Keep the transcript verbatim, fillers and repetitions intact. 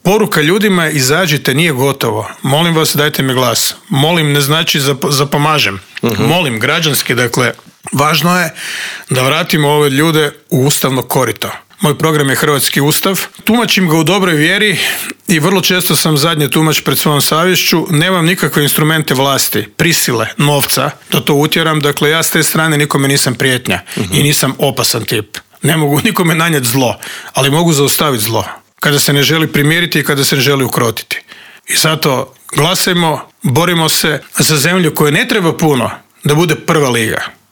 Poruka ljudima je izađite, nije gotovo. Molim vas, dajte mi glas. Molim ne znači zap- zapomažem. Uh-huh. Molim građanski, dakle, važno je da vratimo ove ljude u ustavno korito. Moj program je Hrvatski ustav. Tumačim ga u dobroj vjeri i vrlo često sam zadnji tumač pred svojom savješću. Nemam nikakve instrumente vlasti, prisile, novca da to utjeram. Dakle, ja s te strane nikome nisam prijetnja uh-huh. i nisam opasan tip. Ne mogu nikome nanijeti zlo, ali mogu zaustaviti zlo. Kada se ne želi primiriti i kada se ne želi ukrotiti. I zato glasajmo, borimo se za zemlju koju ne treba puno da bude prva liga.